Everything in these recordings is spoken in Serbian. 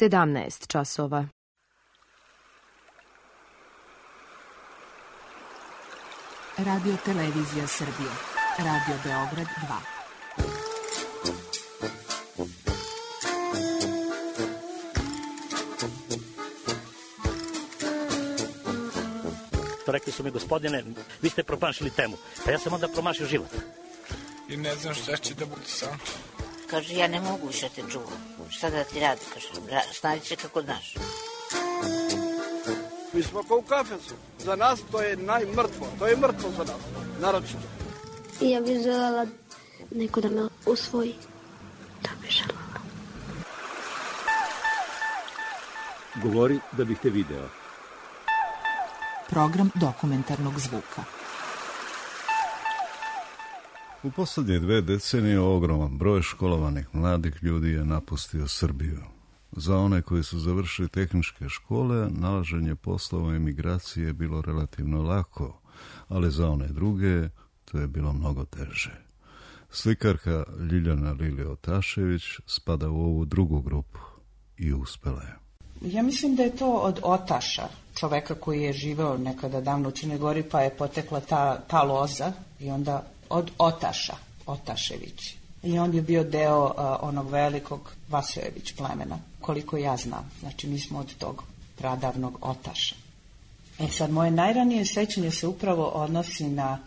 17 časova. Radio Televizija Srbije. Radio Beograd 2. Rekli su mi, gospodine, vi ste promašili temu. Pa ja sam onda promašio život. I ne znam šta će da bude sam. Kaže, ja ne mogu više te čuvam. Šta da ti radi? Kaže, snađi se kako znaš. Mi smo kao u kafesu. Za nas to je najmrtvo. To je mrtvo za nas. Naročito. I ja bih želela neko da me usvoji. Da bih želela. Govori da bih te video. Program dokumentarnog zvuka. U posljednje 2 decenije ogroman broj školovanih mladih ljudi je napustio Srbiju. Za one koji su završili tehničke škole, nalaženje poslova emigracije je bilo relativno lako, ali za one druge to je bilo mnogo teže. Slikarka Ljiljana Lili Otašević spada u ovu drugu grupu i uspela je. Ja mislim da je to od otaša, čoveka koji je živeo nekada davno u Crnoj Gori, pa je potekla ta loza i onda od otaša, Otašević. I on je bio deo onog velikog Vasojević plemena, koliko ja znam. Znači, mi smo od tog pradavnog otaša. Sad, moje najranije sećanje se upravo odnosi na,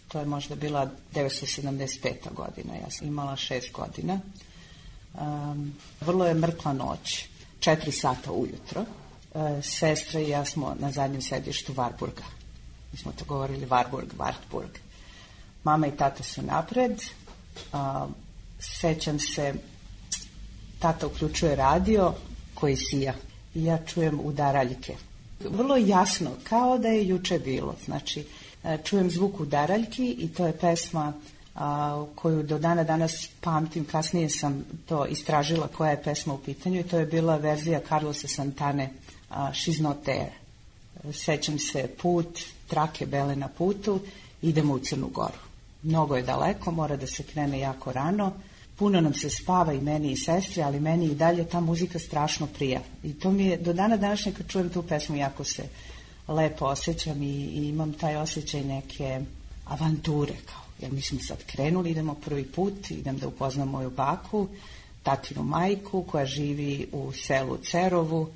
to je možda bila 1975. godina, ja sam imala 6 godina. Vrlo je mrkla noć, 4 sata ujutro. Sestra i ja smo na zadnjem sedištu Varburga. Mi smo to govorili Wartburg. Mama i tata su napred. Sećam se, tata uključuje radio koji sija i ja čujem udaraljke. Vrlo jasno, kao da je juče bilo. Znači, čujem zvuk udaraljki i to je pesma koju do dana danas pamtim. Kasnije sam to istražila koja je pesma u pitanju i to je bila verzija Carlosa Santane She's Not There. Sećam se put, trake bele na putu, idemo u Crnu Goru. Mnogo je daleko, mora da se krene jako rano. Puno nam se spava i meni i sestri, ali meni i dalje ta muzika strašno prija. I to mi je, do dana današnje kad čujem tu pesmu, jako se lepo osjećam i imam taj osjećaj neke avanture. Kao, jer mi smo sad krenuli, idemo prvi put, idem da upoznam moju baku, tatinu majku koja živi u selu Cerovu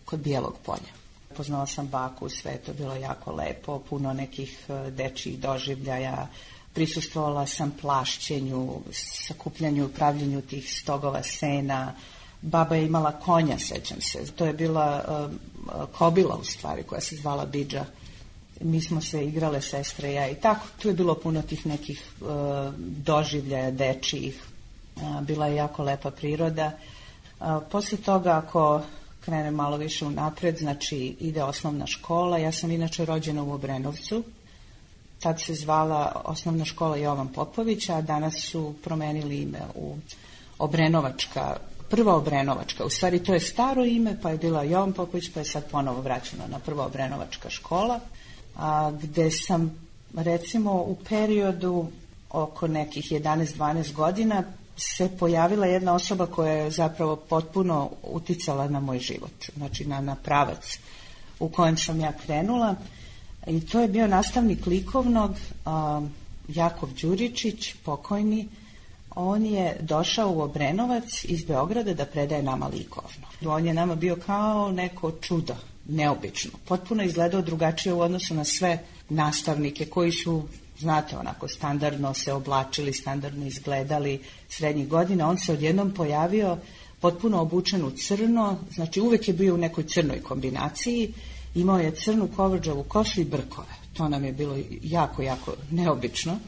kod Bijelog Polja. Poznala sam baku, sve je to bilo jako lepo, puno nekih dečjih doživljaja. Prisustvovala sam plašćenju, sakupljanju i pravljenju tih stogova sena. Baba je imala konja, sećam se. To je bila kobila u stvari koja se zvala Bidža. Mi smo se igrale, sestre i ja i tako. Tu je bilo puno tih nekih doživljaja dečjih. Bila je jako lepa priroda. Posle toga, ako krenem malo više unapred, znači ide osnovna škola. Ja sam inače rođena u Obrenovcu. Tad se zvala osnovna škola Jovan Popović, a danas su promenili ime u Obrenovačka, prva Obrenovačka. U stvari to je staro ime, pa je bila Jovan Popović, pa je sad ponovo vraćeno na prva Obrenovačka škola, gde sam recimo u periodu oko nekih 11-12 godina se pojavila jedna osoba koja je zapravo potpuno uticala na moj život, znači na pravac u kojem sam ja krenula. I to je bio nastavnik likovnog, Jakov Đuričić, pokojni. On je došao u Obrenovac iz Beograda da predaje nama likovno. On je nama bio kao neko čudo, neobično. Potpuno izgledao drugačije u odnosu na sve nastavnike koji su, znate, onako standardno se oblačili, standardno izgledali srednjih godina. On se odjednom pojavio potpuno obučen u crno, znači uvek je bio u nekoj crnoj kombinaciji. Imao je crnu kovrđavu kosu i brkove. To nam je bilo jako, jako neobično.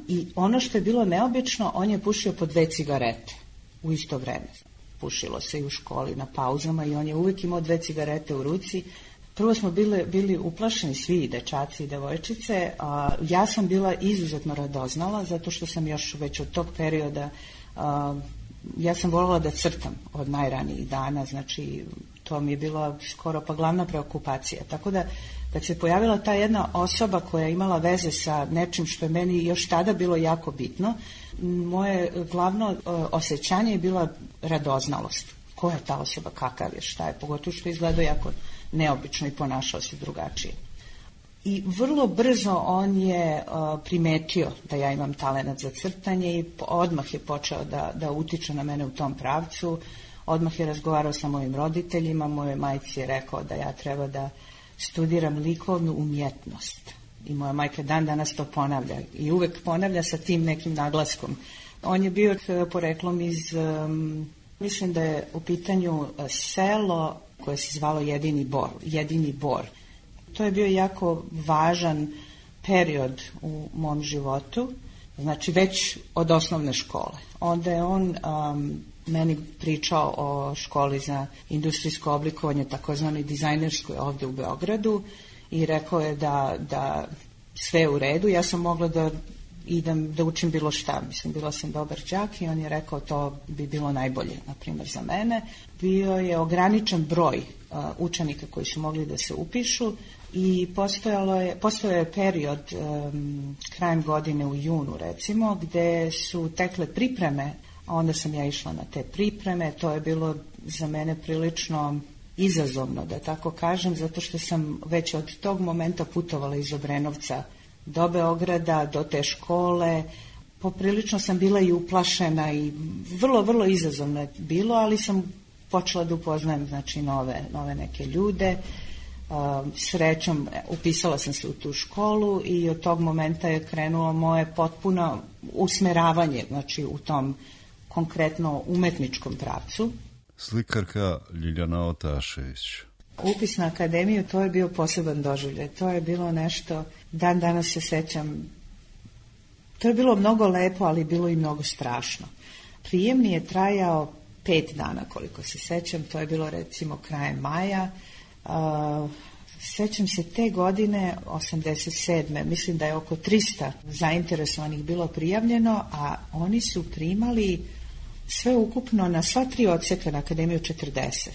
I ono što je bilo neobično, on je pušio po 2 cigarete u isto vreme. Pušilo se i u školi na pauzama i on je uvijek imao 2 cigarete u ruci. Prvo smo bili uplašeni svi, i dečaci i devojčice. Ja sam bila izuzetno radoznala, zato što sam još već od tog perioda, ja sam voljela da crtam od najranijih dana, znači to mi je bila skoro pa glavna preokupacija. Tako da, kad se pojavila ta jedna osoba koja je imala veze sa nečim što je meni još tada bilo jako bitno, moje glavno osjećanje je bila radoznalost. ko je ta osoba, kakav je, šta je, pogotovo što izgledao jako neobično i ponašao se drugačije. I vrlo brzo on je primetio da ja imam talenat za crtanje i odmah je počeo da utiče na mene u tom pravcu. Odmah je razgovarao sa mojim roditeljima, mojoj majci je rekao da ja treba da studiram likovnu umjetnost. I moja majka dan danas to ponavlja i uvek ponavlja sa tim nekim naglaskom. On je bio poreklom iz, mislim da je u pitanju selo koje se zvalo Jedini Bor. To je bio jako važan period u mom životu, znači već od osnovne škole. Onda je on meni pričao o školi za industrijsko oblikovanje, takozvanoj dizajnerskoj ovdje u Beogradu i rekao je da sve je u redu. Ja sam mogla da idem da učim bilo šta. Mislim, bila sam dobar đak i on je rekao to bi bilo najbolje, na primjer, za mene. Bio je ograničen broj učenika koji su mogli da se upišu i postojao je period krajem godine u junu, recimo, gde su tekle pripreme, a onda sam ja išla na te pripreme. To je bilo za mene prilično izazovno, da tako kažem, zato što sam već od tog momenta putovala iz Obrenovca do Beograda, do te škole. Poprilično sam bila i uplašena i vrlo, vrlo izazovno je bilo, ali sam počela da upoznajem, znači, nove neke ljude. Srećom upisala sam se u tu školu i od tog momenta je krenulo moje potpuno usmeravanje, znači, u tom konkretno umetničkom pravcu. Slikarka Ljiljana Otašević. Upis na akademiju, to je bio poseban doživljaj. To je bilo nešto, dan danas se sećam, to je bilo mnogo lepo, ali bilo i mnogo strašno. Prijemni je trajao 5 dana, koliko se sećam, to je bilo recimo krajem maja. Sećam se te godine, 87. Mislim da je oko 300 zainteresovanih bilo prijavljeno, a oni su primali sve ukupno na sva 3 odseka na akademiju 40.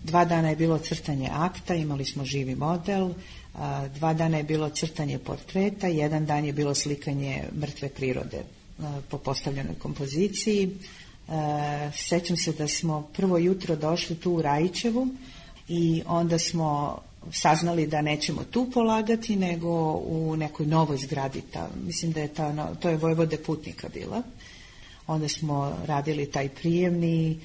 2 dana je bilo crtanje akta, imali smo živi model, 2 dana je bilo crtanje portreta, 1 dan je bilo slikanje mrtve prirode po postavljenoj kompoziciji. Sećam se da smo prvo jutro došli tu u Rajićevu i onda smo saznali da nećemo tu polagati, nego u nekoj novoj zgradi. Mislim da je to je Vojvode Putnika bila. Onda smo radili taj prijemni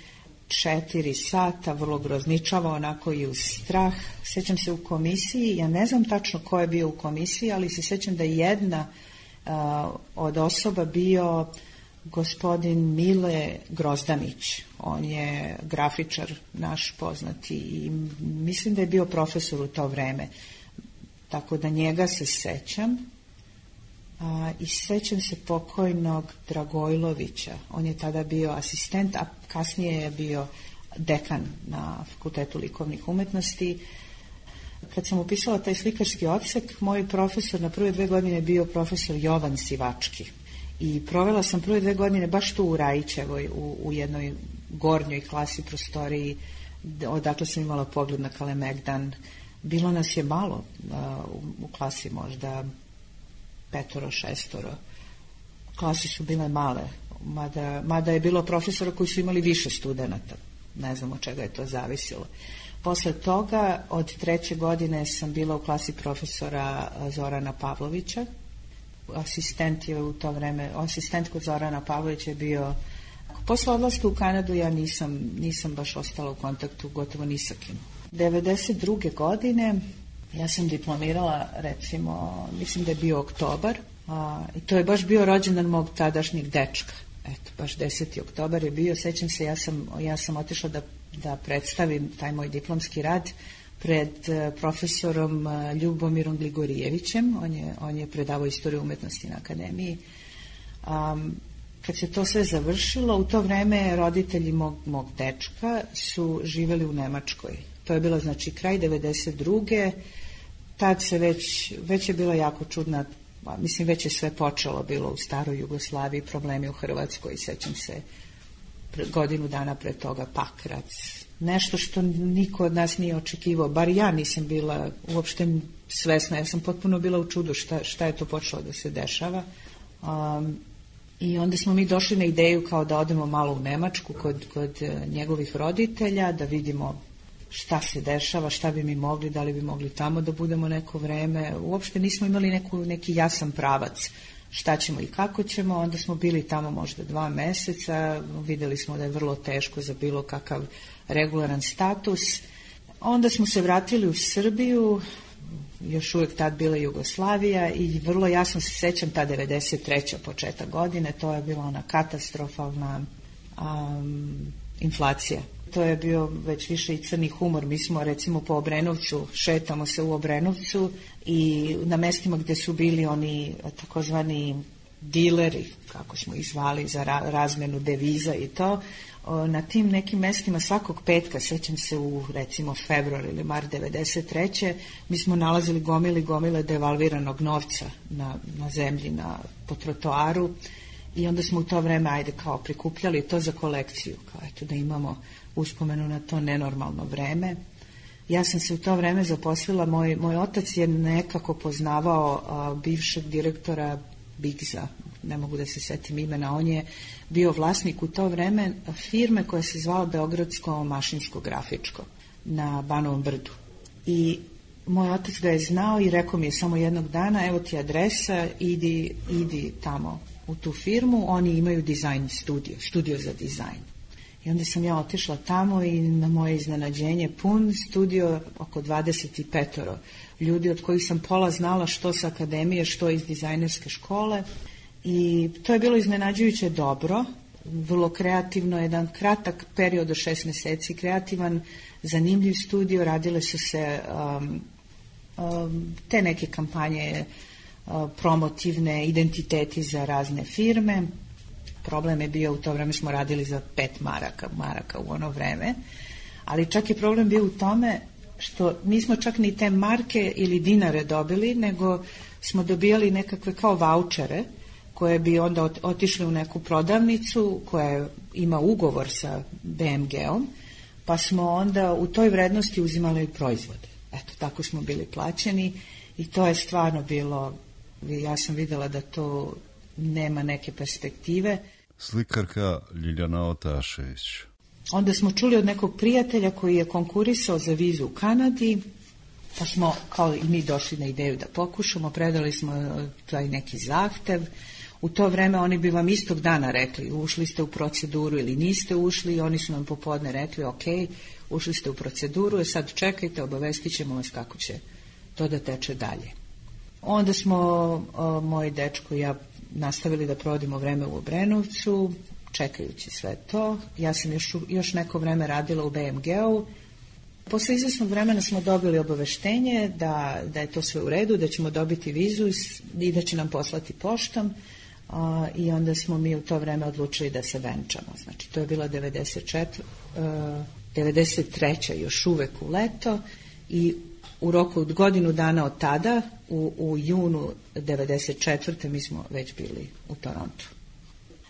4 sata, vrlo grozničava, onako i uz strah. Sećam se u komisiji, ja ne znam tačno ko je bio u komisiji, ali se sećam da je jedna od osoba bio gospodin Mile Grozdanić. On je grafičar naš poznati i mislim da je bio profesor u to vreme. Tako da njega se sećam. I sećam se pokojnog Dragojlovića. On je tada bio asistent, a kasnije je bio dekan na Fakultetu likovnih umetnosti. Kad sam upisala taj slikarski odsek, moj profesor na prve 2 godine je bio profesor Jovan Sivački. I provela sam prve 2 godine baš tu u Rajićevoj, u jednoj gornjoj klasi prostoriji, odakle sam imala pogled na Kalemegdan. Bilo nas je malo u klasi, možda 5-6. Klase su bile male, mada je bilo profesora koji su imali više studenata. Ne znam od čega je to zavisilo. Posle toga, od 3. godine sam bila u klasi profesora Zorana Pavlovića. Asistent je u to vreme, asistent kod Zorana Pavlovića je bio. Posle odlaska u Kanadu ja nisam baš ostala u kontaktu gotovo ni sa kim. 92. godine ja sam diplomirala, recimo, mislim da je bio oktobar, i to je baš bio rođendan mog tadašnjeg dečka. Eto, baš 10. oktobar je bio, sećam se, ja sam otišla da predstavim taj moj diplomski rad pred profesorom Ljubomirom Gligorijevićem, on je predavao istoriju umetnosti na akademiji. Kad se to sve završilo, u to vreme roditelji mog dečka su živeli u Nemačkoj. To je bilo, znači, kraj 92. Tad se već je bila jako čudna, mislim, već je sve počelo bilo u staroj Jugoslaviji, problemi u Hrvatskoj, sećam se godinu dana pre toga Pakrac. Nešto što niko od nas nije očekivao, bar ja nisam bila uopšte svesna, ja sam potpuno bila u čudu šta je to počelo da se dešava. I onda smo mi došli na ideju kao da odemo malo u Nemačku kod njegovih roditelja, da vidimo šta se dešava, šta bi mi mogli, da li bi mogli tamo da budemo neko vreme. Uopšte nismo imali neki jasan pravac šta ćemo i kako ćemo. Onda smo bili tamo možda 2 meseca, videli smo da je vrlo teško za bilo kakav regularan status. Onda smo se vratili u Srbiju, još uvijek tad bila Jugoslavija, i vrlo jasno se sećam ta 93. početak godine, to je bila ona katastrofalna inflacija. To je bio već više i crni humor. Mi smo recimo po Obrenovcu, šetamo se u Obrenovcu i na mestima gde su bili oni takozvani dileri, kako smo ih zvali, za razmenu deviza i to, na tim nekim mestima svakog petka, sećam se u recimo februar ili mart 93. mi smo nalazili gomile devalviranog novca na zemlji, po trotoaru, i onda smo u to vreme prikupljali to za kolekciju, kao eto da imamo uspomenu na to nenormalno vreme. Ja sam se u to vreme zaposlila, moj otac je nekako poznavao bivšeg direktora Bigza, ne mogu da se setim imena, on je bio vlasnik u to vreme firme koja se zvala Beogradsko mašinsko grafičko na Banovom brdu. I moj otac ga je znao i rekao mi je samo jednog dana, evo ti adresa, idi tamo u tu firmu, oni imaju dizajn studio za dizajn. I onda sam ja otišla tamo i na moje iznenađenje pun studio, oko 25 ljudi od kojih sam pola znala što sa akademije, što iz dizajnerske škole, i to je bilo iznenađujuće dobro, vrlo kreativno, jedan kratak period od 6 meseci, kreativan, zanimljiv studio, radile su se te neke kampanje promotivne, identiteti za razne firme. Problem je bio, u to vreme smo radili za 5 maraka u ono vreme, ali čak je problem bio u tome što nismo čak ni te marke ili dinare dobili, nego smo dobijali nekakve kao vaučere koje bi onda otišli u neku prodavnicu koja ima ugovor sa BMG-om, pa smo onda u toj vrednosti uzimali proizvode. Eto, tako smo bili plaćeni i to je stvarno bilo, ja sam videla da to nema neke perspektive. Slikarka Ljiljana Otašević. Onda smo čuli od nekog prijatelja koji je konkurisao za vizu u Kanadi, pa smo kao i mi došli na ideju da pokušamo, predali smo taj neki zahtev. U to vreme oni bi vam istog dana rekli ušli ste u proceduru ili niste ušli, i oni su nam popodne rekli ok, ušli ste u proceduru, sad čekajte, obavestit ćemo vas kako će to da teče dalje. Onda smo, moj dečko i ja, nastavili da provodimo vreme u Obrenovcu, čekajući sve to. Ja sam još neko vreme radila u BMG-u. Posle izvesnog vremena smo dobili obaveštenje da je to sve u redu, da ćemo dobiti vizu i da će nam poslati poštom, i onda smo mi u to vreme odlučili da se venčamo. Znači, to je bila 93. još uvek u leto, i u roku od godinu dana od tada, u junu 94. mi smo već bili u Torontu.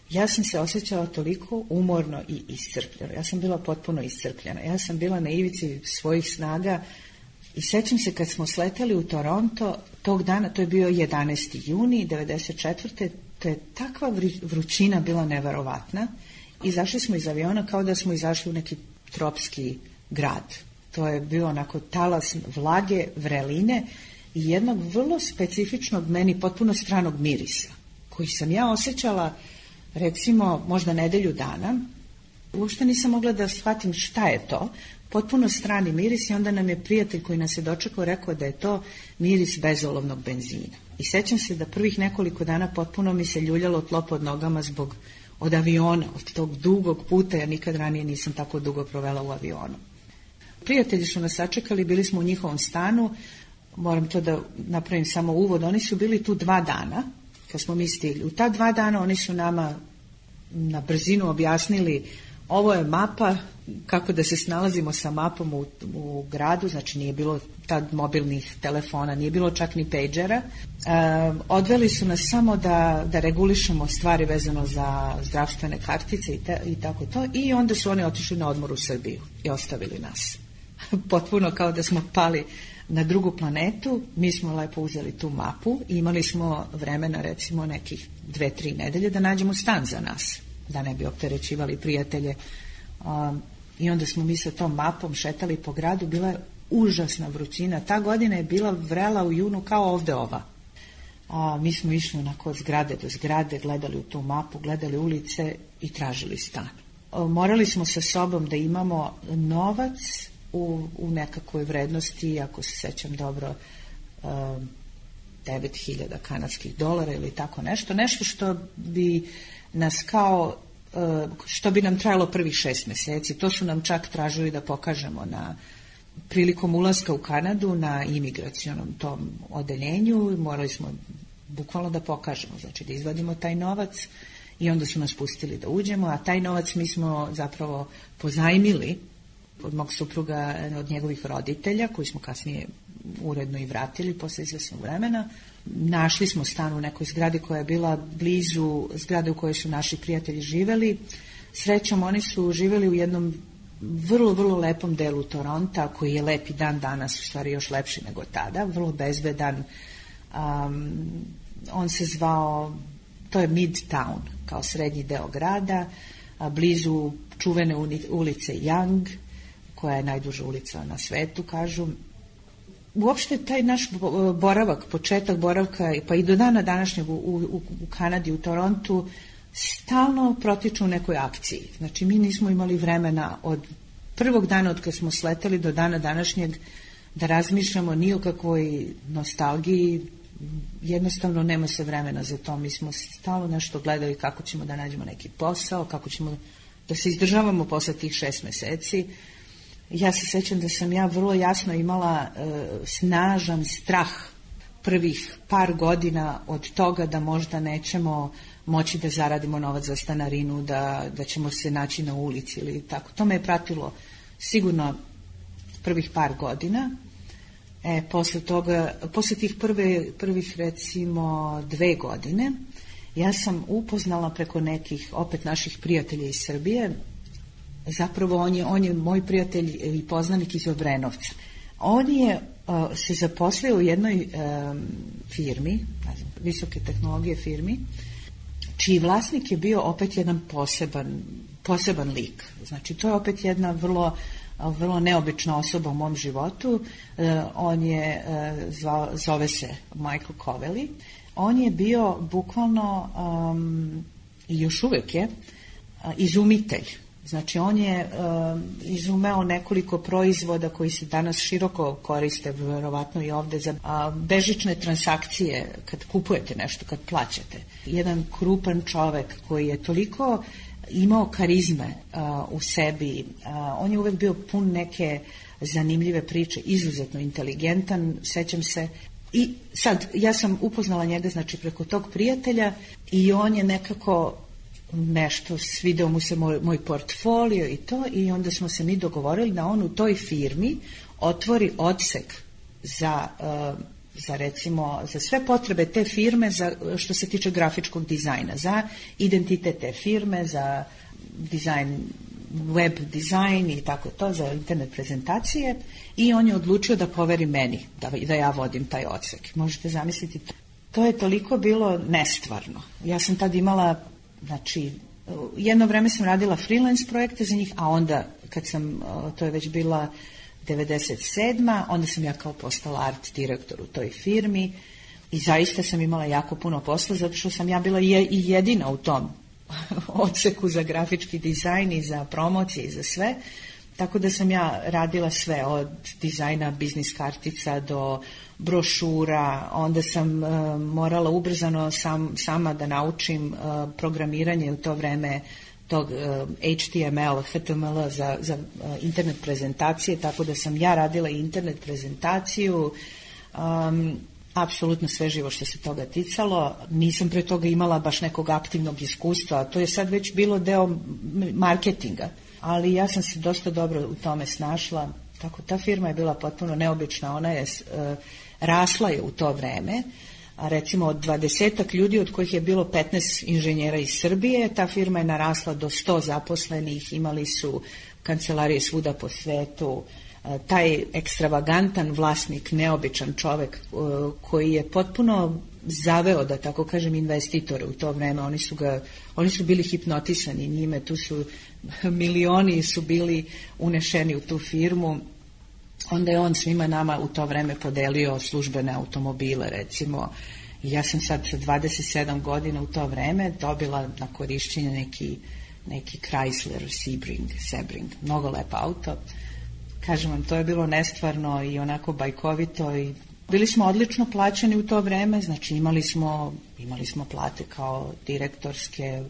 Ja sam se osjećala toliko umorno i iscrpljeno. Ja sam bila potpuno iscrpljena. Ja sam bila na ivici svojih snaga i sećam se kad smo sleteli u Toronto, tog dana, to je bio 11. juni 94. To je takva vrućina bila neverovatna. Izašli smo iz aviona kao da smo izašli u neki tropski grad. To je bio onako talas vlage, vreline i jednog vrlo specifičnog, meni potpuno stranog mirisa, koji sam ja osjećala recimo možda nedelju dana. Uopšte nisam mogla da shvatim šta je to. Potpuno strani miris, i onda nam je prijatelj koji nas je dočekao rekao da je to miris bezolovnog benzina. I sećam se da prvih nekoliko dana potpuno mi se ljuljalo tlo pod nogama od aviona, od tog dugog puta, ja nikad ranije nisam tako dugo provela u avionu. Prijatelji su nas sačekali, bili smo u njihovom stanu, moram to da napravim samo uvod, oni su bili tu 2 dana, kad smo mi stigli. U ta 2 dana oni su nama na brzinu objasnili, ovo je mapa, kako da se snalazimo sa mapom u gradu, znači nije bilo tad mobilnih telefona, nije bilo čak ni pejđera. Odveli su nas samo da regulišemo stvari vezano za zdravstvene kartice i tako to, i onda su oni otišli na odmor u Srbiju i ostavili nas. Potpuno kao da smo pali na drugu planetu. Mi smo lepo uzeli tu mapu i imali smo vremena recimo nekih 2-3 nedelje da nađemo stan za nas, da ne bi opterećivali prijatelje. I onda smo mi sa tom mapom šetali po gradu, bila je užasna vrućina. Ta godina je bila vrela u junu kao ovde ova. Mi smo išli onako od zgrade do zgrade, gledali u tu mapu, gledali ulice i tražili stan. Morali smo sa sobom da imamo novac u nekakvoj vrednosti, ako se sećam dobro, 9.000 kanadskih dolara ili tako nešto. Nešto što bi nas što bi nam trajalo prvih 6 meseci. To su nam čak tražili da pokažemo prilikom ulaska u Kanadu na imigracionom tom odeljenju. Morali smo bukvalno da pokažemo, znači da izvadimo taj novac i onda su nas pustili da uđemo, a taj novac mi smo zapravo pozajmili od mog supruga, od njegovih roditelja, koji smo kasnije uredno i vratili posle izvesnog vremena. Našli smo stan u nekoj zgradi koja je bila blizu zgrade u kojoj su naši prijatelji živeli. Srećom, oni su živeli u jednom vrlo, vrlo lepom delu Toronta, koji je lep i dan danas, u stvari još lepši nego tada, vrlo bezbedan. On se zvao, to je Midtown, kao srednji deo grada, blizu čuvene ulice Young, koja je najduža ulica na svetu, kažu. Uopšte taj naš boravak, početak boravka, pa i do dana današnjeg u Kanadi, u Torontu, stalno protiču u nekoj akciji. Znači, mi nismo imali vremena od prvog dana od kad smo sleteli do dana današnjeg da razmišljamo ni o kakvoj nostalgiji, jednostavno nema se vremena za to. Mi smo stalno nešto gledali kako ćemo da nađemo neki posao, kako ćemo da se izdržavamo posle tih 6 meseci. Ja se sećam da sam ja vrlo jasno imala snažan strah prvih par godina od toga da možda nećemo moći da zaradimo novac za stanarinu, da ćemo se naći na ulici ili tako. To me je pratilo sigurno prvih par godina. Posle tih prvih recimo 2 godine, ja sam upoznala preko nekih opet naših prijatelja iz Srbije. Zapravo on je moj prijatelj i poznanik iz Obrenovca. On je se zaposlio u jednoj firmi, visoke tehnologije firmi, čiji vlasnik je bio opet jedan poseban lik. Znači, to je opet jedna vrlo neobična osoba u mom životu. On je, zove se Michael Covelli. On je bio bukvalno, i još uvek je, izumitelj. Znači, on je izumeo nekoliko proizvoda koji se danas široko koriste, verovatno i ovde, za bežične transakcije, kad kupujete nešto, kad plaćate. Jedan krupan čovek koji je toliko imao karizme u sebi, on je uvek bio pun neke zanimljive priče, izuzetno inteligentan, sećam se. I sad, ja sam upoznala njega, znači, preko tog prijatelja i on je nekako nešto, svideo mu se moj portfolio i to, i onda smo se mi dogovorili da on u toj firmi otvori odsek za recimo, za sve potrebe te firme, što se tiče grafičkog dizajna, za identitet te firme, za dizajn, web dizajn i tako to, za internet prezentacije, i on je odlučio da poveri meni, da ja vodim taj odsek. Možete zamisliti, to je toliko bilo nestvarno. Ja sam tad imala, znači, jedno vreme sam radila freelance projekte za njih, a onda kad sam, to je već bila 97. onda sam ja kao postala art direktor u toj firmi i zaista sam imala jako puno posla, zato što sam ja bila i jedina u tom odseku za grafički dizajn i za promocije i za sve, tako da sam ja radila sve, od dizajna biznis kartica do brošura. Onda sam morala ubrzano sama da naučim programiranje u to vreme tog HTML, HTML za internet prezentacije, tako da sam ja radila i internet prezentaciju, apsolutno sve živo što se toga ticalo. Nisam pre toga imala baš nekog aktivnog iskustva, to je sad već bilo deo marketinga, ali ja sam se dosta dobro u tome snašla, tako ta firma je bila potpuno neobična, ona je rasla je u to vreme, a recimo od 20 ljudi, od kojih je bilo 15 inženjera iz Srbije, ta firma je narasla do 100 zaposlenih, imali su kancelarije svuda po svetu, taj ekstravagantan vlasnik, neobičan čovek koji je potpuno zaveo, da tako kažem, investitore u to vreme. Oni su bili hipnotisani njime, tu su milioni su bili unešeni u tu firmu. Onda je on svima nama u to vreme podelio službene automobile, recimo. I ja sam sad sa 27 godina u to vreme dobila na korišćenje neki Chrysler Sebring, mnogo lep auto. Kažem vam, to je bilo nestvarno i onako bajkovito i bili smo odlično plaćeni u to vreme, znači imali smo plate kao direktorske,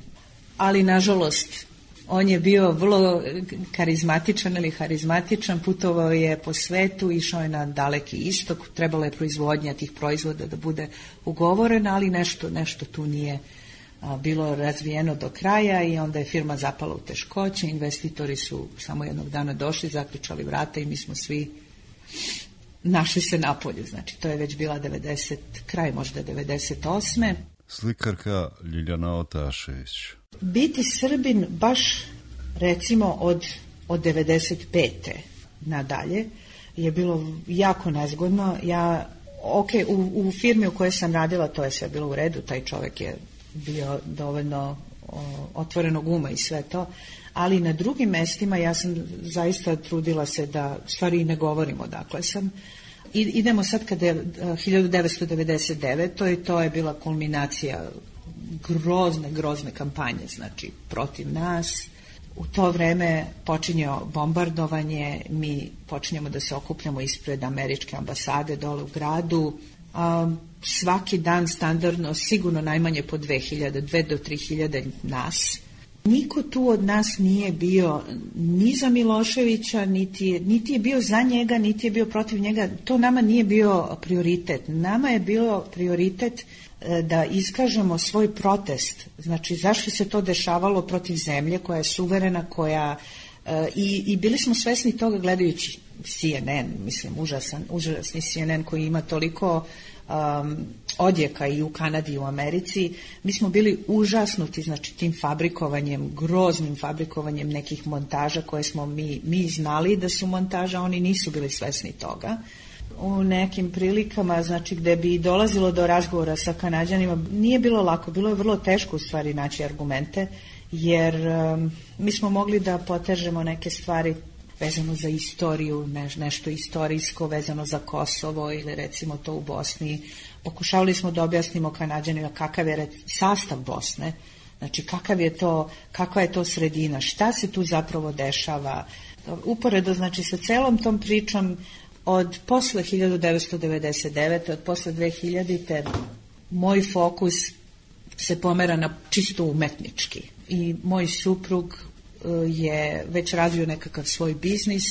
ali nažalost on je bio vrlo harizmatičan, putovao je po svetu, išao je na daleki istok, trebalo je proizvodnja tih proizvoda da bude ugovorena, ali nešto tu nije bilo razvijeno do kraja i onda je firma zapala u teškoće, investitori su samo jednog dana došli, zaključali vrata i mi smo svi našli se napolju, znači to je već bila kraj možda 98. Slikarka Ljiljana Otašević. Biti Srbin baš recimo od 95. nadalje je bilo jako nezgodno. U firmi u kojoj sam radila to je sve bilo u redu, taj čovjek je bio dovoljno otvorenog uma i sve to, ali na drugim mestima ja sam zaista trudila se da stvari ne govorimo odakle sam. Idemo sad kada je 1999. i to je bila kulminacija grozne kampanje, znači protiv nas. U to vreme počinje bombardovanje, mi počinjemo da se okupljamo ispred američke ambasade dole u gradu. Svaki dan standardno, sigurno najmanje po 2 do 3.000 nas. Niko tu od nas nije bio ni za Miloševića, niti je bio za njega, niti je bio protiv njega. To nama nije bio prioritet. Nama je bio prioritet da iskažemo svoj protest. Znači, zašto se to dešavalo protiv zemlje koja je suverena, i bili smo svesni toga gledajući CNN, mislim, užasni CNN koji ima toliko odjeka i u Kanadi i u Americi. Mi smo bili užasnuti, znači, tim fabrikovanjem, groznim fabrikovanjem nekih montaža koje smo mi znali da su montaža, oni nisu bili svesni toga. U nekim prilikama, znači, gde bi dolazilo do razgovora sa Kanađanima, nije bilo lako, bilo je vrlo teško u stvari naći argumente, jer mi smo mogli da potežemo neke stvari vezano za istoriju, nešto istorijsko vezano za Kosovo ili recimo to u Bosni. Pokušavali smo da objasnimo Kanađanima kakav je sastav Bosne, znači kakva je to sredina, šta se tu zapravo dešava. Uporedo, znači, sa celom tom pričom od posle 1999. od posle 2000. moj fokus se pomera na čisto umetnički i moj suprug je već razvio nekakav svoj biznis,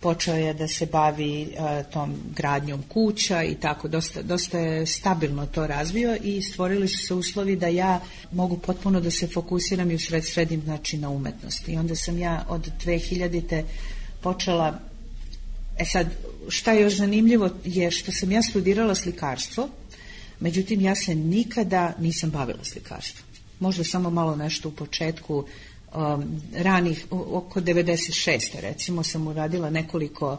počeo je da se bavi tom gradnjom kuća i tako, dosta je stabilno to razvio i stvorili su se uslovi da ja mogu potpuno da se fokusiram i usredsredim, znači, na umetnost. I onda sam ja od 2000. počela. Sad, šta je još zanimljivo je što sam ja studirala slikarstvo, međutim ja se nikada nisam bavila slikarstvom. Možda samo malo nešto u početku, ranih, oko 96. recimo sam uradila nekoliko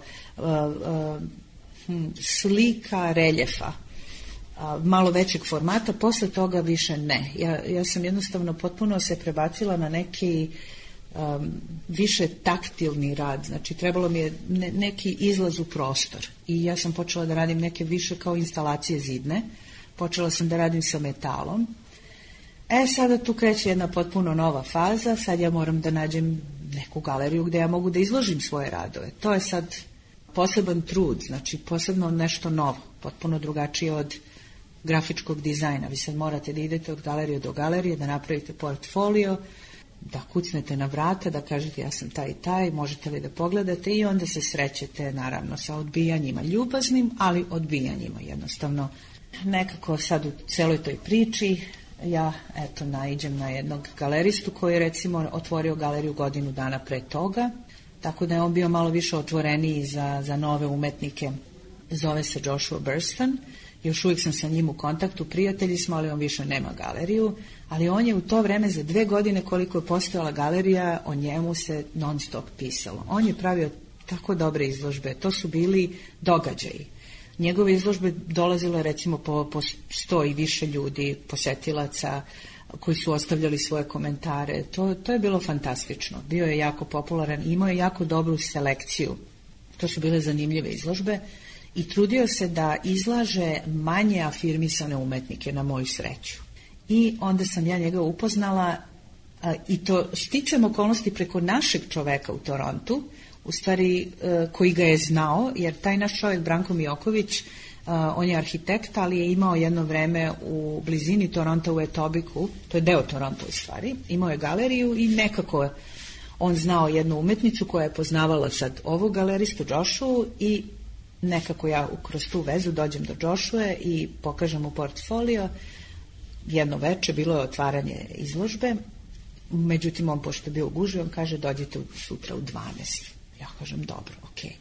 slika, reljefa, malo većeg formata, posle toga više ne. Ja sam jednostavno potpuno se prebacila na neki više taktilni rad, znači trebalo mi je neki izlaz u prostor i ja sam počela da radim neke više kao instalacije zidne, počela sam da radim sa metalom. Sada tu kreće jedna potpuno nova faza, sad ja moram da nađem neku galeriju gde ja mogu da izložim svoje radove. To je sad poseban trud, znači posebno nešto novo, potpuno drugačije od grafičkog dizajna. Vi sad morate da idete od galerije do galerije, da napravite portfolio, da kucnete na vrata, da kažete ja sam taj i taj, možete li da pogledate, i onda se srećete naravno sa odbijanjima, ljubaznim, ali odbijanjima jednostavno. Nekako sad u celoj toj priči ja naiđem na jednog galeristu koji je recimo otvorio galeriju godinu dana pre toga, tako da je on bio malo više otvoreniji za nove umetnike. Zove se Joshua Burston, još uvijek sam sa njim u kontaktu, prijatelji smo, ali on više nema galeriju, ali on je u to vreme za 2 godine koliko je postojala galerija, o njemu se non stop pisalo. On je pravio tako dobre izložbe. To su bili događaji. Njegove izložbe dolazile recimo po 100 i više ljudi, posetilaca koji su ostavljali svoje komentare. To je bilo fantastično. Bio je jako popularan, imao je jako dobru selekciju. To su bile zanimljive izložbe i trudio se da izlaže manje afirmisane umetnike, na moju sreću. I onda sam ja njega upoznala i to sticam okolnosti preko našeg čoveka u Torontu, u stvari koji ga je znao, jer taj naš čovjek Branko Mijoković, on je arhitekt, ali je imao jedno vreme u blizini Toronta u Etobiku, to je deo Toronta u stvari, imao je galeriju i nekako on znao jednu umetnicu koja je poznavala sad ovog galeristu Joshua i nekako ja kroz tu vezu dođem do Joshua i pokažem mu portfolio. Jedno veče bilo je otvaranje izložbe, međutim on pošto je bio u gužvi, on kaže dođite sutra u 12. Ja kažem dobro, okej.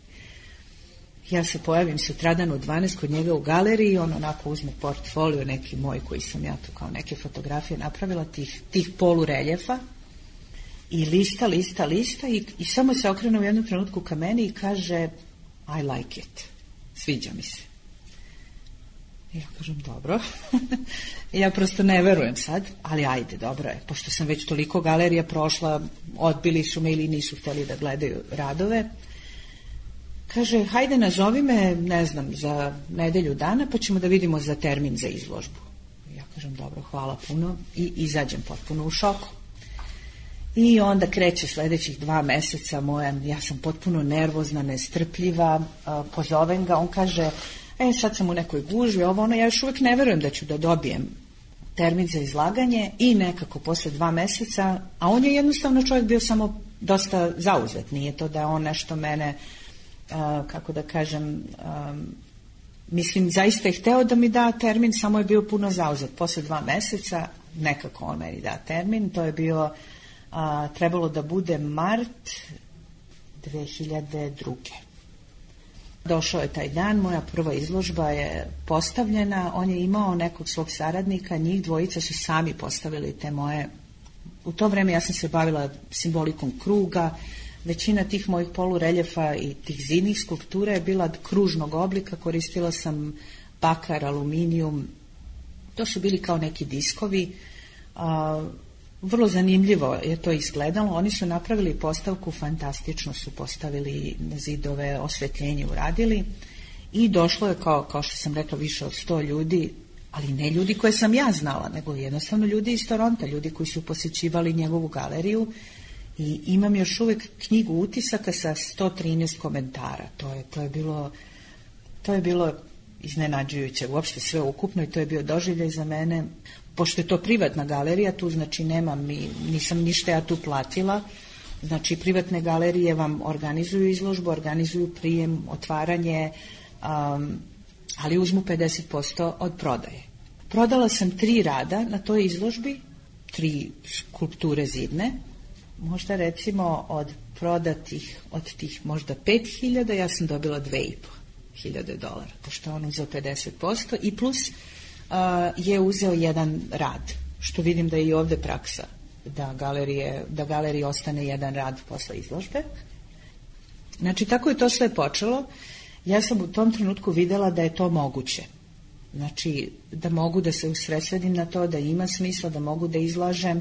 Ja se pojavim sutradan u 12 kod njega u galeriji, on onako uzme portfolio neki moj koji sam ja tu kao neke fotografije napravila, tih polureljefa i lista i samo se okrene u jednom trenutku ka meni i kaže I like it, sviđa mi se. Ja kažem dobro, ja prosto ne verujem sad, ali ajde, dobro je, pošto sam već toliko galerija prošla, odbili su me ili nisu htjeli da gledaju radove. Kaže, hajde nazovi me, ne znam, za nedelju dana, pa ćemo da vidimo za termin za izložbu. Ja kažem, dobro, hvala puno i izađem potpuno u šoku. I onda kreće sljedećih 2 meseca ja sam potpuno nervozna, nestrpljiva, pozovem ga, on kaže, sad sam u nekoj gužvi, ja još uvijek ne verujem da ću da dobijem termin za izlaganje i nekako posle 2 meseca, a on je jednostavno čovjek bio samo dosta zauzet, nije to da on nešto mene, kako da kažem, mislim, zaista je hteo da mi da termin, samo je bio puno zauzet. Posle 2 meseca nekako on meni da termin, to je bio, trebalo da bude mart 2002. Došao je taj dan, moja prva izložba je postavljena, on je imao nekog svog saradnika, njih dvojica su sami postavili te moje, u to vreme ja sam se bavila simbolikom kruga, većina tih mojih polureljefa i tih zidnih skulptura je bila kružnog oblika, koristila sam bakar, aluminijum, to su bili kao neki diskovi, vrlo zanimljivo je to izgledalo, oni su napravili postavku, fantastično su postavili zidove, osvetljenje uradili i došlo je kao što sam rekla više od 100 ljudi, ali ne ljudi koje sam ja znala, nego jednostavno ljudi iz Toronta, ljudi koji su posjećivali njegovu galeriju i imam još uvijek knjigu utisaka sa 113 komentara, to je bilo iznenađujuće, uopšte sve ukupno i to je bio doživljaj za mene. Pošto je to privatna galerija, tu znači nisam ništa ja tu platila, znači privatne galerije vam organizuju izložbu, organizuju prijem, otvaranje, ali uzmu 50% od prodaje. Prodala sam 3 rada na toj izložbi, 3 skulpture zidne, možda recimo od prodatih, od tih možda 5.000, ja sam dobila $2.500, pošto on uzeo 50% i plus je uzeo jedan rad, što vidim da je i ovdje praksa, da galeriji ostane jedan rad posle izložbe. Znači, tako je to sve počelo. Ja sam u tom trenutku vidjela da je to moguće. Znači, da mogu da se usredsredim na to, da ima smisla, da mogu da izlažem.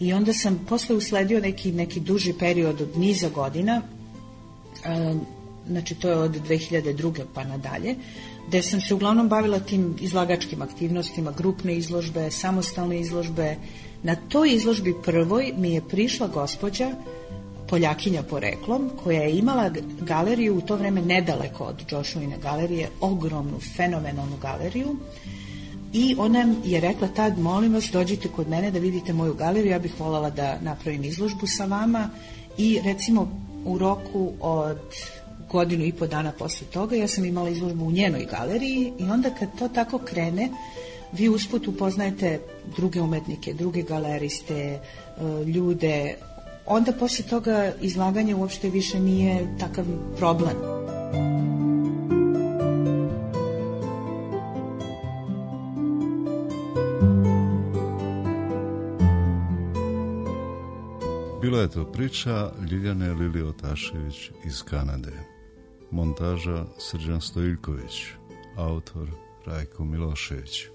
I onda sam posle usledio neki duži period od niza godina, znači to je od 2002. pa nadalje, gde sam se uglavnom bavila tim izlagačkim aktivnostima, grupne izložbe, samostalne izložbe. Na toj izložbi prvoj mi je prišla gospođa, Poljakinja poreklom, koja je imala galeriju u to vreme nedaleko od Joshuine galerije, ogromnu, fenomenalnu galeriju, i ona je rekla tad, molim vas, dođite kod mene da vidite moju galeriju, ja bih voljela da napravim izložbu sa vama, i recimo u roku od 1.5 dana posle toga ja sam imala izložbu u njenoj galeriji i onda kad to tako krene, vi usput upoznajete druge umetnike, druge galeriste, ljude, onda posle toga izlaganje uopšte više nije takav problem. Bilo Bila je to priča Ljiljane Liliotašević iz Kanade. Montaža Srđan Stojiljković. Autor Rajko Milošević.